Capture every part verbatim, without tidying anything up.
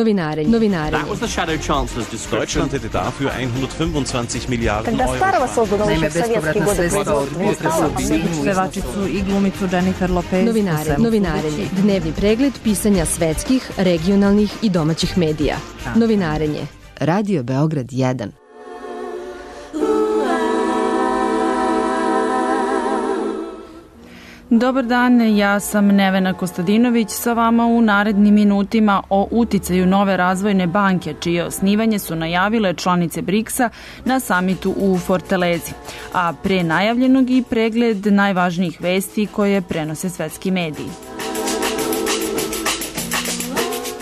Novinarenje. Novinarenje. That was the shadow chancellor's description. Deutschland hätte dafür hundertfünfundzwanzig Milliarden Euro. Naime, bespovratna sredstva od potresa u pevačicu i glumicu Jennifer Lopez. Novinare, novinarenje. Dnevni pregled pisanja svetskih, regionalnih i domaćih medija. Novinarenje. Radio Beograd jedan. Dobar dan, ja sam Nevena Kostadinović sa vama u narednim minutima o uticaju nove razvojne banke, čije osnivanje su najavile članice briksa na samitu u Fortalezi, a pre najavljenog i pregled najvažnijih vesti koje prenose svetski mediji.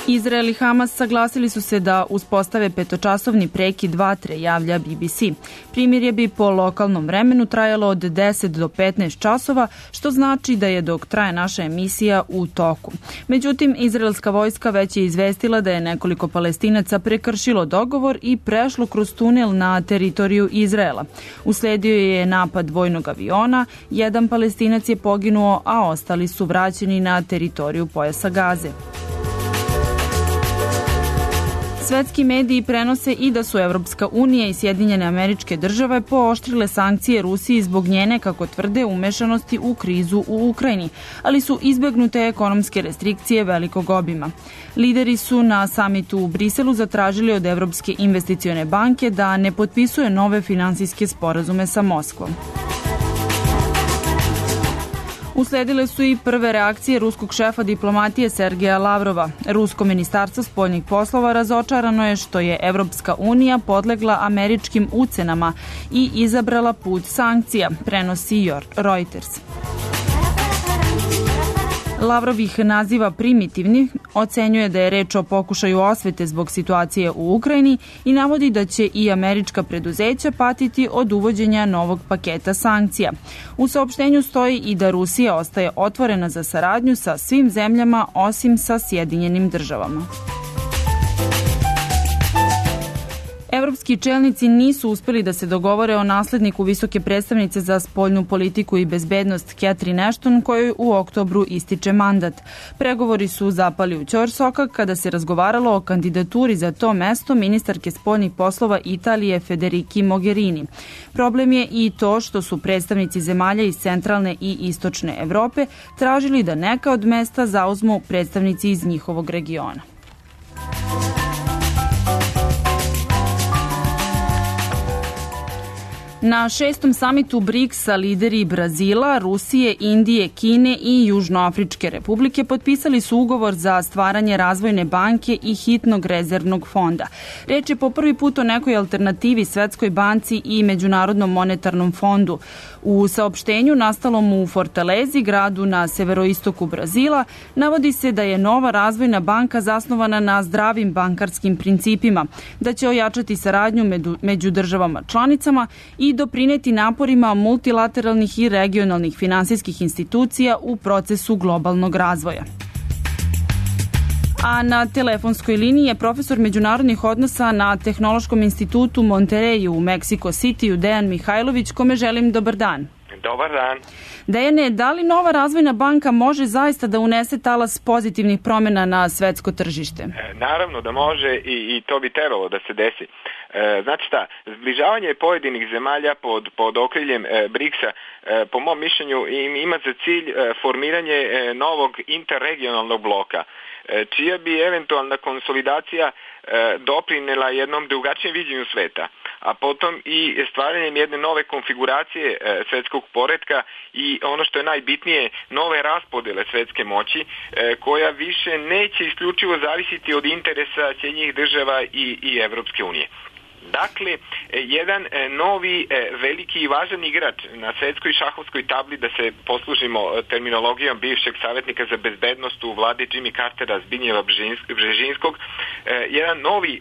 Izrael i Hamas saglasili su se da uspostave petočasovni prekid vatre, javlja B B C. Primirje bi po lokalnom vremenu trajalo od deset do petnaest časova, što znači da je dok traje naša emisija u toku. Međutim, izraelska vojska već je izvestila da je nekoliko Palestinaca prekršilo dogovor i prešlo kroz tunel na teritoriju Izraela. Usledio je napad vojnog aviona, jedan Palestinac je poginuo, a ostali su vraćeni na teritoriju pojasa Gaze. Svetski mediji prenose i da su Evropska unija i Sjedinjene Američke Države pooštrile sankcije Rusiji zbog njene, kako tvrde, umešanosti u krizu u Ukrajini, ali su izbegnute ekonomske restrikcije velikog obima. Lideri su na samitu u Briselu zatražili od Evropske investicione banke da ne potpisuje nove finansijske sporazume sa Moskvom. Usledile su i prve reakcije ruskog šefa diplomatije Sergeja Lavrova. Rusko ministarstvo spoljnih poslova razočarano je što je Evropska unija podlegla američkim ucenama i izabrala put sankcija, prenosi Reuters. Lavrov ih naziva primitivni, ocenjuje da je reč o pokušaju osvete zbog situacije u Ukrajini i navodi da će i američka preduzeća patiti od uvođenja novog paketa sankcija. U saopštenju stoji i da Rusija ostaje otvorena za saradnju sa svim zemljama osim sa Sjedinjenim državama. Evropski čelnici nisu uspeli da se dogovore o nasledniku visoke predstavnice za spoljnu politiku i bezbednost Catherine Ashton, kojoj u oktobru ističe mandat. Pregovori su zapali u ćorsokak kada se razgovaralo o kandidaturi za to mesto ministarke spoljnih poslova Italije Federici Mogherini. Problem je i to što su predstavnici zemalja iz centralne i istočne Evrope tražili da neka od mesta zauzmu predstavnici iz njihovog regiona. Na šestom samitu briksa lideri Brazila, Rusije, Indije, Kine i Južnoafričke republike potpisali su ugovor za stvaranje razvojne banke i hitnog rezervnog fonda. Reč je po prvi put o nekoj alternativi Svetskoj banci i Međunarodnom monetarnom fondu. U saopštenju nastalom u Fortalezi, gradu na severoistoku Brazila, navodi se da je nova razvojna banka zasnovana na zdravim bankarskim principima, da će ojačati saradnju među državama članicama i doprineti naporima multilateralnih i regionalnih finansijskih institucija u procesu globalnog razvoja. A na telefonskoj liniji je profesor međunarodnih odnosa na Tehnološkom institutu Monterreyu u Meksiko Cityu Dejan Mihajlović, kome želim dobar dan. Dobar dan. Dejane, da li nova razvojna banka može zaista da unese talas pozitivnih promjena na svetsko tržište? E, naravno da može i, i to bi trebalo da se desi. E, znači šta, zbližavanje pojedinih zemalja pod, pod okriljem e, briksa, e, po mom mišljenju im, ima za cilj e, formiranje e, novog interregionalnog bloka, e, čija bi eventualna konsolidacija e, doprinela jednom drugačijem viđenju sveta, a potom i stvaranjem jedne nove konfiguracije e, svetskog poretka i ono što je najbitnije, nove raspodele svetske moći, e, koja više neće isključivo zavisiti od interesa Sjedinjenih država i, i Evropske unije. Dakle, jedan novi, veliki i važan igrač na svetskoj šahovskoj tabli, da se poslužimo terminologijom bivšeg savjetnika za bezbednost u vladi Jimmy Cartera Zbignjeva Bžežinskog, jedan novi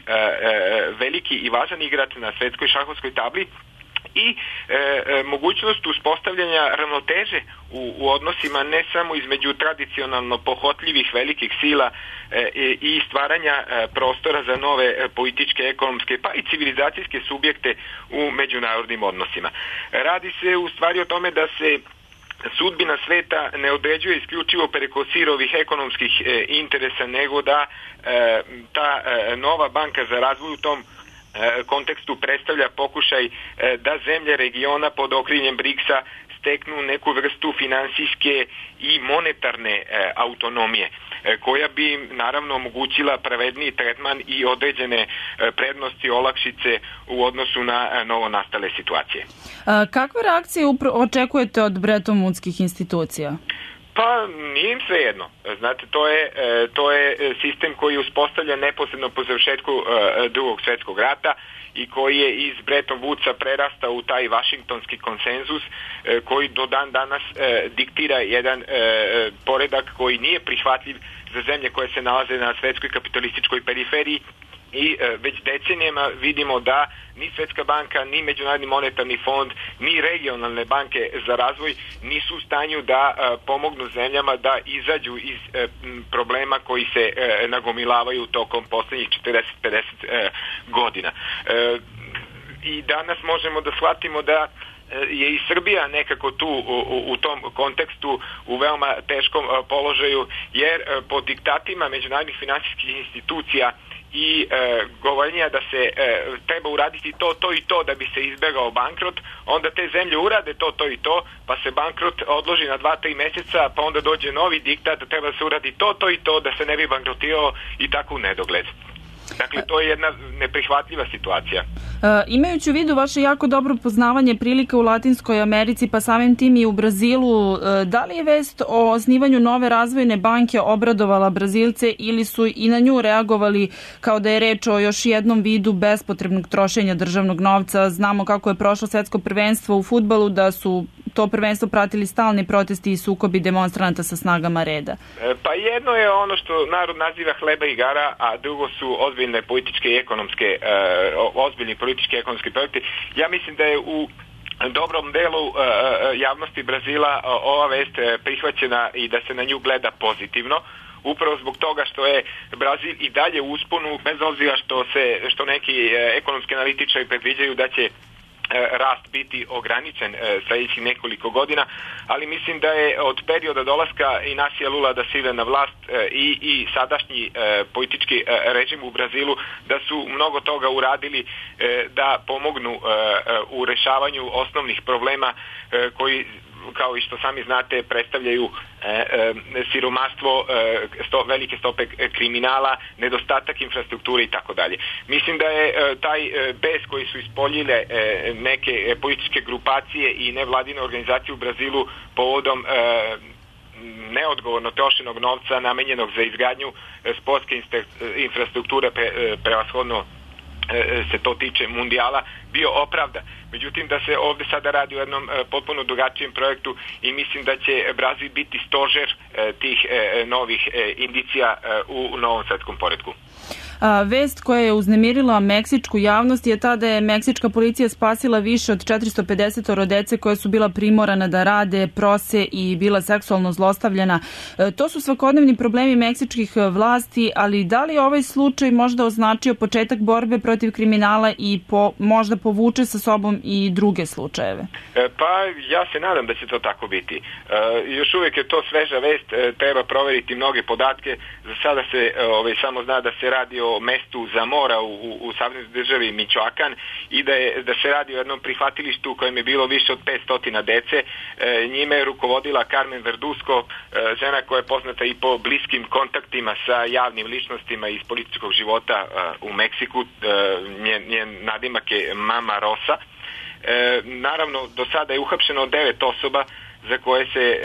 veliki i važan igrač na svetskoj šahovskoj tabli i e, e, mogućnost uspostavljanja ravnoteže u, u odnosima ne samo između tradicionalno pohotljivih velikih sila e, i stvaranja e, prostora za nove e, političke, ekonomske pa i civilizacijske subjekte u međunarodnim odnosima. Radi se u stvari o tome da se sudbina sveta ne određuje isključivo preko sirovih ekonomskih e, interesa, nego da e, ta e, nova banka za razvoj u tom e, kontekstu predstavlja pokušaj e, da zemlje regiona pod okriljem briksa steknu neku vrstu finansijske i monetarne e, autonomije, e, koja bi im naravno omogućila pravedniji tretman i određene e, prednosti, olakšice u odnosu na e, novo nastale situacije. A, kakve reakcije upro- očekujete od Bretton Woodskih institucija? Pa nije im sve jedno. Znate, to je, e, to je sistem koji je uspostavljen neposredno po završetku e, drugog svjetskog rata i koji je iz Bretton Woodsa prerastao u taj vašingtonski konsenzus e, koji do dan danas e, diktira jedan e, poredak koji nije prihvatljiv za zemlje koje se nalaze na svetskoj kapitalističkoj periferiji. I e, već decenijama vidimo da ni Svetska banka, ni Međunarodni monetarni fond, ni regionalne banke za razvoj nisu u stanju da e, pomognu zemljama da izađu iz e, problema koji se e, nagomilavaju tokom posljednjih četrdeset do pedeset e, godina. E, I danas možemo da shvatimo da je i Srbija nekako tu u, u tom kontekstu u veoma teškom položaju, jer po diktatima međunarodnih finansijskih institucija i e, govorenja da se e, treba uraditi to, to i to da bi se izbegao bankrot, onda te zemlje urade to, to i to, pa se bankrot odloži na dva, tri mjeseca, pa onda dođe novi diktat da treba da se uradi to, to i to da se ne bi bankrotirao i tako u nedogled. Dakle, to je jedna neprihvatljiva situacija. E, imajući u vidu vaše jako dobro poznavanje prilika u Latinskoj Americi, pa samim tim i u Brazilu, e, da li je vest o osnivanju nove razvojne banke obradovala Brazilce ili su i na nju reagovali kao da je reč o još jednom vidu bespotrebnog trošenja državnog novca? Znamo kako je prošlo svetsko prvenstvo u fudbalu, da su to prvenstvo pratili stalni protesti i sukobi demonstranata sa snagama reda. E, pa jedno je ono što narod naziva hleba i igara, a drugo su ozbiljne političke i ekonomske, e, ozbiljni politički i ekonomski projekti. Ja mislim da je u dobrom delu e, javnosti Brazila ova vest prihvaćena i da se na nju gleda pozitivno. Upravo zbog toga što je Brazil i dalje u usponu, bez obzira što se što neki ekonomski analitičari predviđaju da će rast biti ograničen sljedećih nekoliko godina, ali mislim da je od perioda dolaska Inacija Lula da Silva na vlast i, i sadašnji politički režim u Brazilu da su mnogo toga uradili da pomognu u rešavanju osnovnih problema koji, kao i što sami znate, predstavljaju e, e, siromaštvo, e, sto, velike stope kriminala, nedostatak infrastrukture i tako dalje. Mislim da je e, taj e, bes koji su ispoljile e, neke e, političke grupacije i nevladine organizacije u Brazilu povodom e, neodgovorno trošenog novca namenjenog za izgradnju e, sportske infrastrukture, pre, e, prevashodno se to tiče mundijala, bio opravda. Međutim, da se ovdje sada radi o jednom e, potpuno drugačijem projektu i mislim da će Brazil biti stožer e, tih e, novih e, indicija e, u, u novom svetskom poretku. A, vest koja je uznemirila meksičku javnost je ta da je meksička policija spasila više od četiristo pedeset dece koje su bila primorana da rade, prose i bila seksualno zlostavljana. E, to su svakodnevni problemi meksičkih vlasti, ali da li ovaj slučaj možda označio početak borbe protiv kriminala i po, možda povuče sa sobom i druge slučajeve? E, pa ja se nadam da će to tako biti. E, još uvijek je to sveža vest, e, treba proveriti mnoge podatke. Za sada se e, ovaj, samo zna da se radi o mestu Zamora u, u, u saveznoj državi Michoacan i da, je, da se radi o jednom prihvatilištu u kojem je bilo više od petsto dece. E, njime je rukovodila Carmen Verduzco, e, žena koja je poznata i po bliskim kontaktima sa javnim ličnostima iz političkog života e, u Meksiku. E, njen, njen nadimak je Mama Rosa. E, naravno, do sada je uhapšeno devet osoba za koje se e,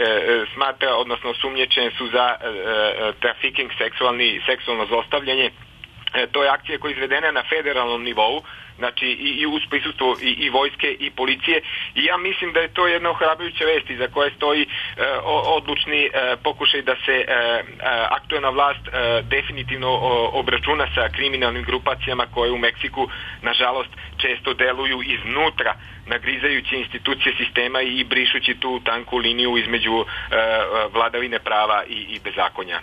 smatra, odnosno sumnjičene su za e, trafiking, seksualni, seksualno zlostavljanje. E, to je akcija koja je izvedena na federalnom nivou, znači i, i uz prisustvu i, i vojske i policije, i ja mislim da je to jedna ohrabrujuća vest za koje stoji e, odlučni e, pokušaj da se e, aktuelna vlast e, definitivno o, obračuna sa kriminalnim grupacijama koje u Meksiku nažalost često deluju iznutra, nagrizajući institucije sistema i brišući tu tanku liniju između e, vladavine prava i, i bezakonja.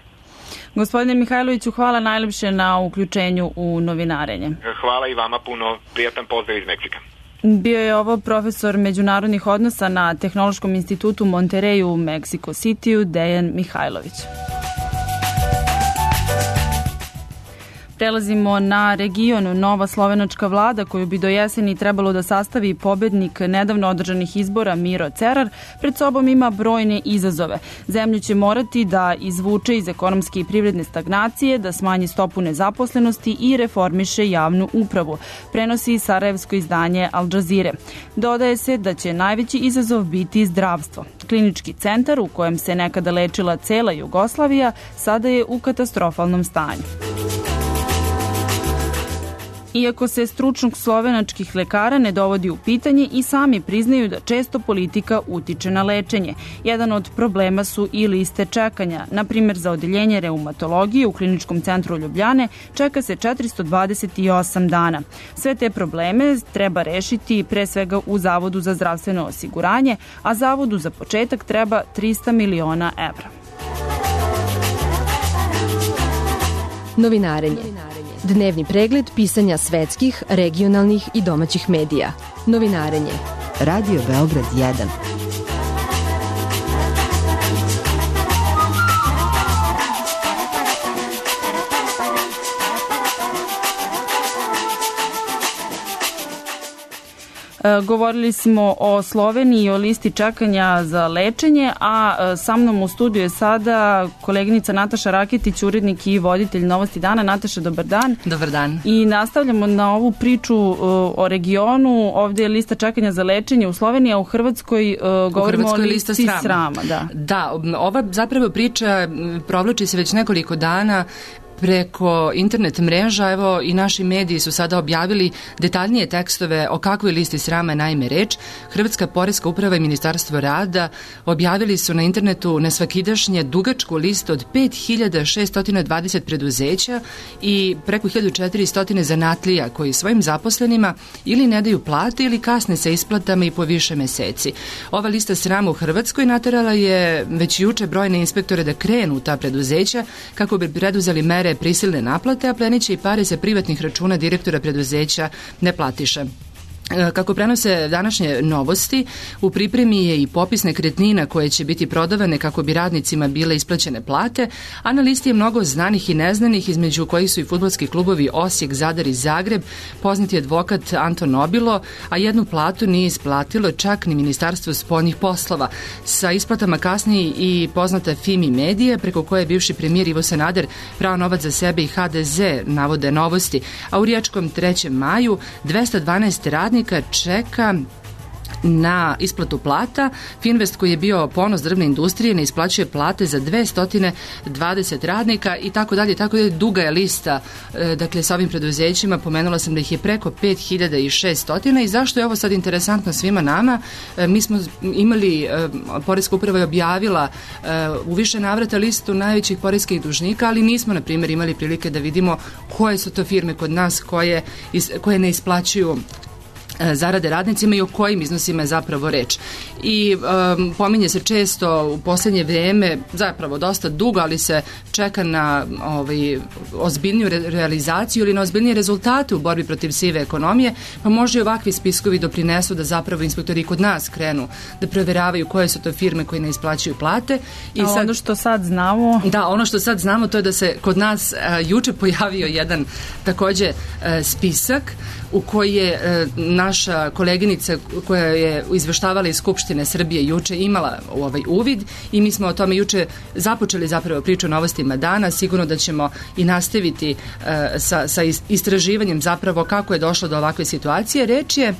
Gospodine Mihajloviću, hvala najlepše na uključenju u novinarenje. Hvala i vama puno. Prijatan pozdrav iz Meksika. Bio je ovo profesor međunarodnih odnosa na Tehnološkom institutu Monterey u Mexico City-u, Dejan Mihajlović. Prelazimo na region. Nova slovenačka vlada, koju bi do jeseni trebalo da sastavi pobednik nedavno održanih izbora Miro Cerar, pred sobom ima brojne izazove. Zemlju će morati da izvuče iz ekonomske i privredne stagnacije, da smanji stopu nezaposlenosti i reformiše javnu upravu, prenosi sarajevsko izdanje Al Jazeere. Dodaje se da će najveći izazov biti zdravstvo. Klinički centar u kojem se nekada lečila cela Jugoslavija sada je u katastrofalnom stanju. Iako se stručnog slovenačkih lekara ne dovodi u pitanje, i sami priznaju da često politika utiče na lečenje. Jedan od problema su i liste čekanja. Na primjer, za odeljenje reumatologije u Kliničkom centru Ljubljane čeka se četiristo dvadeset osam dana. Sve te probleme treba rešiti pre svega u Zavodu za zdravstveno osiguranje, a Zavodu za početak treba trista miliona evra. Novinarenje. Dnevni pregled pisanja svetskih, regionalnih i domaćih medija. Novinarenje. Radio Beograd jedan. Govorili smo o Sloveniji i o listi čekanja za lečenje, a sa mnom u studiju je sada koleginica Nataša Raketić, urednik i voditelj Novosti dana. Nataša, dobar dan. Dobar dan. I nastavljamo na ovu priču o regionu. Ovdje je lista čekanja za lečenje u Sloveniji, a u Hrvatskoj govorimo u Hrvatskoj o listi srama. srama da. da, ova zapravo priča provlači se već nekoliko dana preko internet mreža. Evo, i naši mediji su sada objavili detaljnije tekstove o kakvoj listi srama je naime reč. Hrvatska poreska uprava i Ministarstvo rada objavili su na internetu nesvakidašnje dugačku listu od pet hiljada šesto dvadeset preduzeća i preko hiljadu četiristo zanatlija koji svojim zaposlenima ili ne daju plate ili kasne sa isplatama i po više meseci. Ova lista srama u Hrvatskoj naterala je već juče brojne inspektore da krenu u ta preduzeća kako bi preduzeli mere prisilne naplate, a pleniće i pare sa privatnih računa direktora preduzeća ne platiše. Kako prenose današnje Novosti, u pripremi je i popis nekretnina koje će biti prodavane kako bi radnicima bile isplaćene plate, a na listi je mnogo znanih i neznanih, između kojih su i fudbalski klubovi Osijek, Zadar i Zagreb, poznati advokat Anton Nobilo, a jednu platu nije isplatilo čak ni Ministarstvo spoljnih poslova. Sa isplatama kasnije i poznata Fimi Medije, preko koje je bivši premijer Ivo Sanader prao novac za sebe i ha de ze, navode Novosti, a u Riječkom trećem maju dvesta dvanaest radnika čeka na isplatu plata. Finvest, koji je bio ponos drvne industrije, ne isplaćuje plate za dvesta dvadeset radnika i tako dalje, tako dalje. Duga je lista, dakle, sa ovim preduzećima. Pomenula sam da ih je preko pet hiljada šesto. I zašto je ovo sad interesantno svima nama? Mi smo imali, Poreska uprava je objavila u više navrata listu najvećih poreskih dužnika, ali nismo, na primjer, imali prilike da vidimo koje su to firme kod nas koje, koje ne isplaćuju zarade radnicima i o kojim iznosima je zapravo reč. I um, pominje se često u posljednje vrijeme, zapravo dosta dugo, ali se čeka na ovaj, ozbiljniju re realizaciju ili na ozbiljnije rezultate u borbi protiv sive ekonomije, pa može i ovakvi spiskovi doprinesu da zapravo inspektori kod nas krenu da provjeravaju koje su to firme koje ne isplaćuju plate. I sad, ono što sad znamo... Da, ono što sad znamo to je da se kod nas a, juče pojavio jedan također a, spisak u koji je a, naša koleginica koja je izveštavala iz Skupštine Srbije juče imala ovaj uvid i mi smo o tome juče započeli zapravo priču o Novostima dana. Sigurno da ćemo i nastaviti uh, sa, sa istraživanjem zapravo kako je došlo do ovakve situacije. Reč je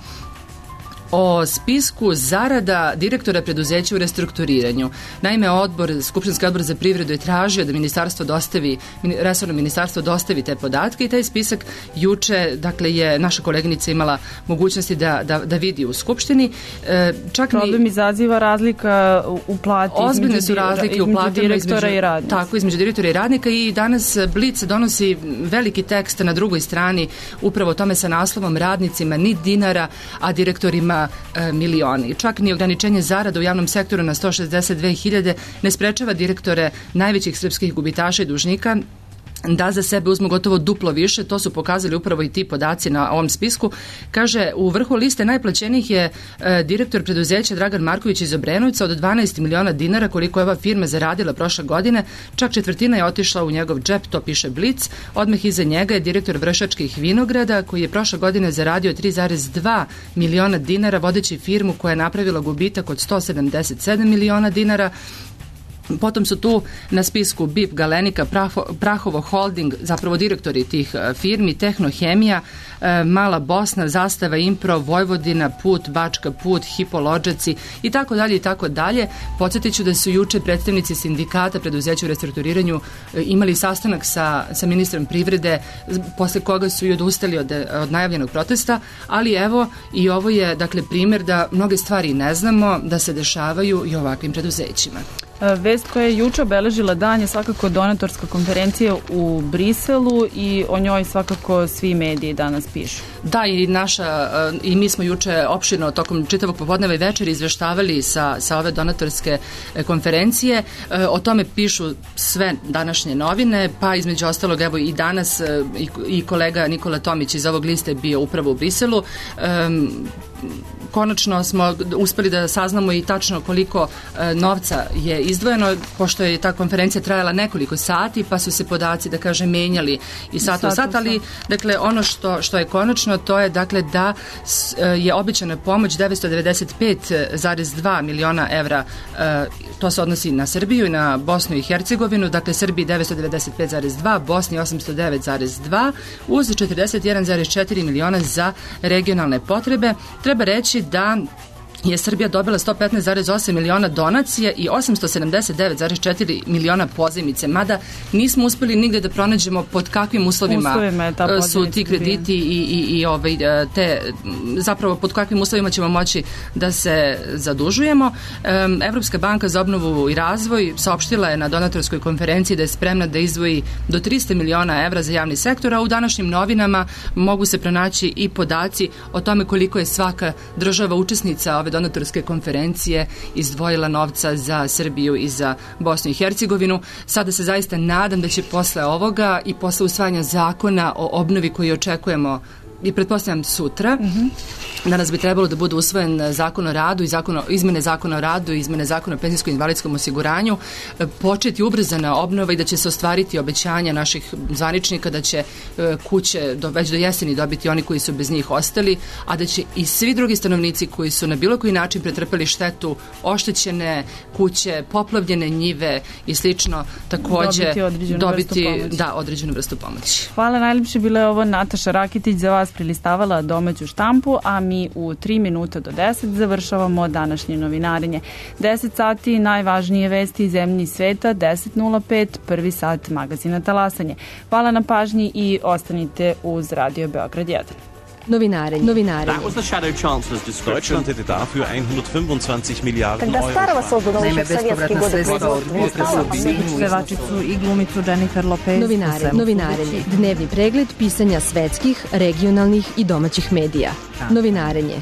o spisku zarada direktora preduzeća u restrukturiranju. Naime, odbor, Skupštinski odbor za privredu je tražio da ministarstvo dostavi, resorno ministarstvo dostavi te podatke i taj spisak juče, dakle, je naša koleginica imala mogućnosti da, da, da vidi u Skupštini. E, čak Problem ni, izaziva razlika u plati ozbiljne su razlike u platama direktora između, i radnika. Tako, između direktora i radnika i danas Blic donosi veliki tekst na drugoj strani upravo o tome sa naslovom radnicima ni dinara, a direktorima milioni. Čak ni ograničenje zarada u javnom sektoru na sto šezdeset dve hiljade ne sprečava direktore najvećih srpskih gubitaša i dužnika da za sebe uzmu gotovo duplo više, to su pokazali upravo i ti podaci na ovom spisku. Kaže, u vrhu liste najplaćenijih je e, direktor preduzeća Dragan Marković iz Obrenovca od dvanaest miliona dinara koliko je ova firma zaradila prošle godine, čak četvrtina je otišla u njegov džep, to piše Blic. Odmah iza njega je direktor Vršačkih vinograda koji je prošle godine zaradio tri zarez dva miliona dinara vodeći firmu koja je napravila gubitak od sto sedamdeset sedam miliona dinara. Potom su tu na spisku B I P, Galenika, Praho, Prahovo Holding, zapravo direktori tih firmi, Tehnohemija, Mala Bosna, Zastava Impro, Vojvodina, Put, Bačka Put, Hipolođaci i tako dalje i tako dalje. Podsjetit ću da su juče predstavnici sindikata preduzeća u restrukturiranju imali sastanak sa, sa ministrom privrede, posle koga su i odustali od, od najavljenog protesta, ali evo i ovo je dakle primjer da mnoge stvari ne znamo, da se dešavaju i ovakvim preduzećima. Vest koja je juče obeležila dan je svakako donatorska konferencija u Briselu i o njoj svakako svi mediji danas pišu. Da, i naša i mi smo juče opširno tokom čitavog popodneva i večeri izveštavali sa, sa ove donatorske konferencije. O tome pišu sve današnje novine, pa između ostalog evo i danas i, i kolega Nikola Tomić iz ovog liste bio upravo u Briselu. Um, Konačno smo uspeli da saznamo i tačno koliko e, novca je izdvojeno, pošto je ta konferencija trajala nekoliko sati, pa su se podaci, da kažem, menjali i sat u sat, ali dakle, ono što, što je konačno, to je dakle da s, e, je obećana pomoć devetsto devedeset pet zarez dva miliona evra, e, to se odnosi na Srbiju i na Bosnu i Hercegovinu, dakle Srbiji devetsto devedeset pet zarez dva, Bosni osamsto devet zarez dva, uz četrdeset jedan zarez četiri miliona za regionalne potrebe. Treba reći da je Srbija dobila sto petnaest zarez osam miliona donacije i osamsto sedamdeset devet zarez četiri miliona pozajmice, mada nismo uspeli nigde da pronađemo pod kakvim uslovima, uslovima su ti krediti i, i, i ovaj, te, zapravo pod kakvim uslovima ćemo moći da se zadužujemo. Evropska banka za obnovu i razvoj saopštila je na donatorskoj konferenciji da je spremna da izdvoji do trista miliona evra za javni sektor, a u današnjim novinama mogu se pronaći i podaci o tome koliko je svaka država učesnica ove donatorske konferencije izdvojila novca za Srbiju i za Bosnu i Hercegovinu. Sada se zaista nadam da će posle ovoga i posle usvajanja zakona o obnovi koji očekujemo i pretpostavljam sutra, mm-hmm. danas bi trebalo da bude usvojen zakon o radu i zakon o, izmene zakona o radu i izmene zakona o penzijskom i invalidskom osiguranju, početi ubrzana obnova i da će se ostvariti obećanja naših zvaničnika da će kuće do, već do jeseni dobiti oni koji su bez njih ostali, a da će i svi drugi stanovnici koji su na bilo koji način pretrpeli štetu, oštećene kuće, poplavljene njive i slično, takođe dobiti određenu, dobiti, vrstu, pomoći. Da, određenu vrstu pomoći. Hvala, najljepše bila je ovo Nataša Rakitić za vas prilistavala domaću štampu, a mi u tri minuta do deset završavamo današnje novinarenje. deset sati najvažnije vesti iz zemlje i sveta, deset nula pet prvi sat magazina Talasanje. Hvala na pažnji i ostanite uz Radio Beograd jedan. Novinarenje. Novinarenje. That was the Shadow Chancellor's description. Deutschland hätte dafür hundertfünfundzwanzig Milliarden Euro. Naime, bespovratna sredstva od pevačicu i glumicu Jennifer Lopez. Novinarenje. Novinarenje. Dnevni pregled pisanja svetskih, regionalnih i domaćih medija. Novinarenje.